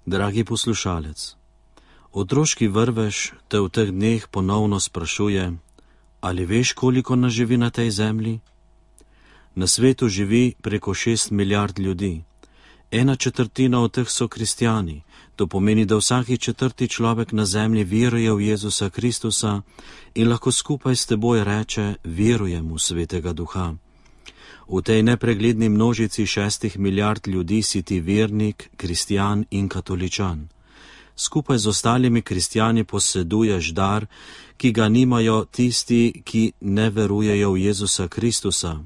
Dragi poslušalec, otroški vrvež te v teh dneh ponovno sprašuje, ali veš, koliko nas živi na tej zemlji? Na svetu živi preko 6 milijard ljudi. 1/4 od teh so kristjani. To pomeni, da vsaki 4. človek na zemlji veruje v Jezusa Kristusa in lahko skupaj s teboj reče, verujem v Svetega Duha. V tej nepregledni množici 6 milijard ljudi si ti vernik, kristjan in katoličan. Skupaj z ostalimi kristjani poseduješ dar, ki ga nimajo tisti, ki ne verujejo v Jezusa Kristusa.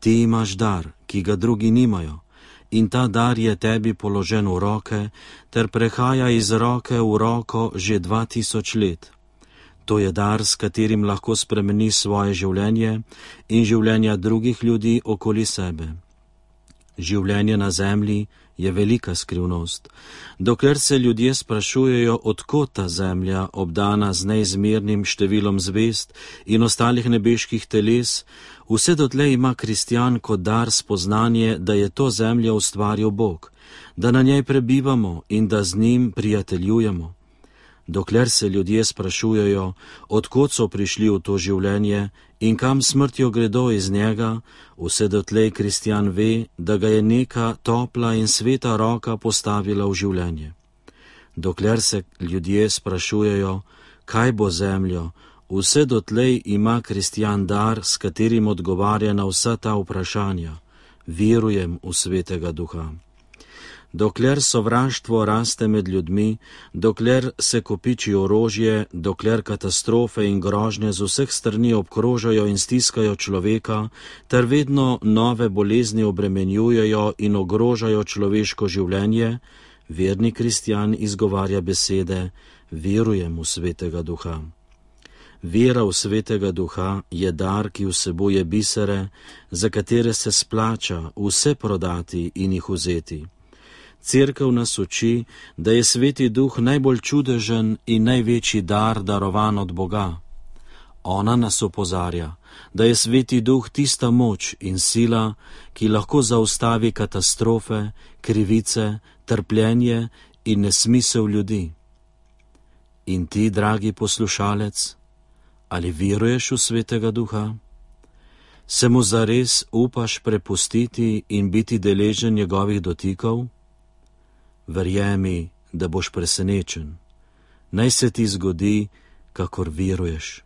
Ti imaš dar, ki ga drugi nimajo, in ta dar je tebi položen v roke, ter prehaja iz roke v roko že 2000 let. To je dar, s katerim lahko spremeni svoje življenje in življenja drugih ljudi okoli sebe. Življenje na zemlji je velika skrivnost. Dokler se ljudje sprašujejo, odkot ta zemlja, obdana z neizmernim številom zvezd in ostalih nebeških teles, vse dotlej ima kristjan kot dar spoznanje, da je to zemljo ustvaril Bog, da na njej prebivamo in da z njim prijateljujemo. Dokler se ljudje sprašujejo, odkot so prišli v to življenje in kam smrtjo gredo iz njega, vse dotlej kristjan ve, da ga je neka topla in sveta roka postavila v življenje. Dokler se ljudje sprašujejo, kaj bo zemljo, vse dotlej ima kristjan dar, s katerim odgovarja na vsa ta vprašanja. Verujem v Svetega Duha. Dokler sovraštvo raste med ljudmi, dokler se kopiči orožje, dokler katastrofe in grožnje z vseh strani obkrožajo in stiskajo človeka, ter vedno nove bolezni obremenjujejo in ogrožajo človeško življenje, verni kristjan izgovarja besede, verujem v Svetega Duha. Vera v Svetega Duha je dar, ki vsebuje bisere, za katere se splača vse prodati in jih vzeti. Cerkev nas uči, da je Sveti Duh najbolj čudežen in največji dar, darovan od Boga. Ona nas opozarja, da je Sveti Duh tista moč in sila, ki lahko zaustavi katastrofe, krivice, trpljenje in nesmisel ljudi. In ti, dragi poslušalec, ali veruješ v Svetega Duha? Se mu zares upaš prepustiti in biti deležen njegovih dotikov? Verjemi, da boš presenečen. Naj se ti zgodi, kakor veruješ.